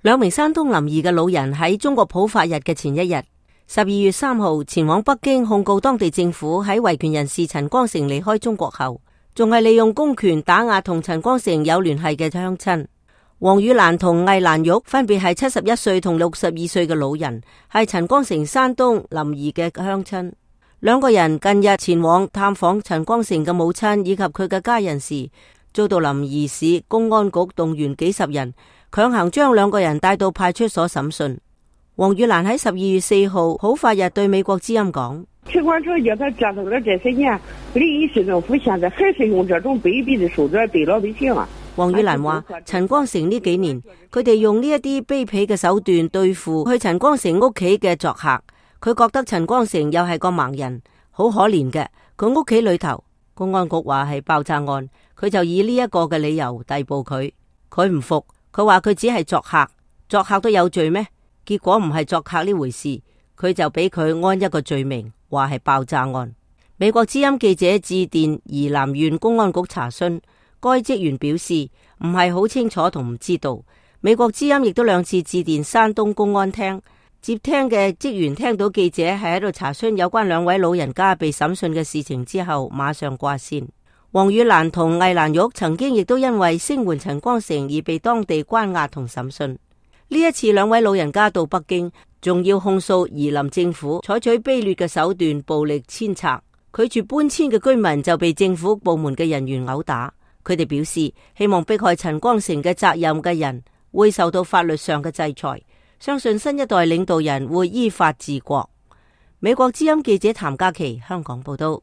兩名山東臨沂嘅老人喺中國普法日嘅前一日，12月3號前往北京控告當地政府喺維權人士陳光誠離開中國後，仲係利用公權打壓同陳光誠有聯繫嘅鄉親。黃宇蘭同魏蘭玉分別係71歲同62歲嘅老人，係陳光誠山東臨沂嘅鄉親。兩個人近日前往探訪陳光誠嘅母親以及佢嘅家人時，遭到臨沂市公安局動員幾十人，強行將兩個人帶到派出所審訊。黃宇蘭喺12月4號普法日對美國之音講：陳光誠叫他折騰了這些年，臨沂市政府現在還是用這種卑鄙的手段對老百姓啊！黃宇蘭話：陳光誠呢幾年，佢哋用呢一啲卑鄙嘅手段對付去陳光誠屋企嘅作客。佢覺得陳光誠又係個盲人，好可憐嘅。佢屋企裏頭，公安局話係爆炸案，佢就以呢一個嘅理由逮捕佢。佢唔服，佢話佢只係作客，作客都有罪咩？結果唔係作客呢回事，佢就俾佢安一個罪名，話係爆炸案。美國之音記者致電宜蘭縣公安局查詢，該職員表示唔係好清楚同唔知道。美國之音亦都2次致電山東公安廳。接聽嘅職員聽到記者係喺度查詢有關兩位老人家被審訊嘅事情之後，馬上掛線。黃宇蘭同魏蘭玉曾經亦都因為聲援陳光誠而被當地關押同審訊。呢一次兩位老人家到北京，仲要控訴宜林政府採取卑劣嘅手段暴力遷拆，拒絕搬遷嘅居民就被政府部門嘅人員毆打。佢哋表示希望迫害陳光誠嘅責任嘅人會受到法律上嘅制裁。相信新一代領導人會依法治國。美國之音記者譚嘉琪香港報道。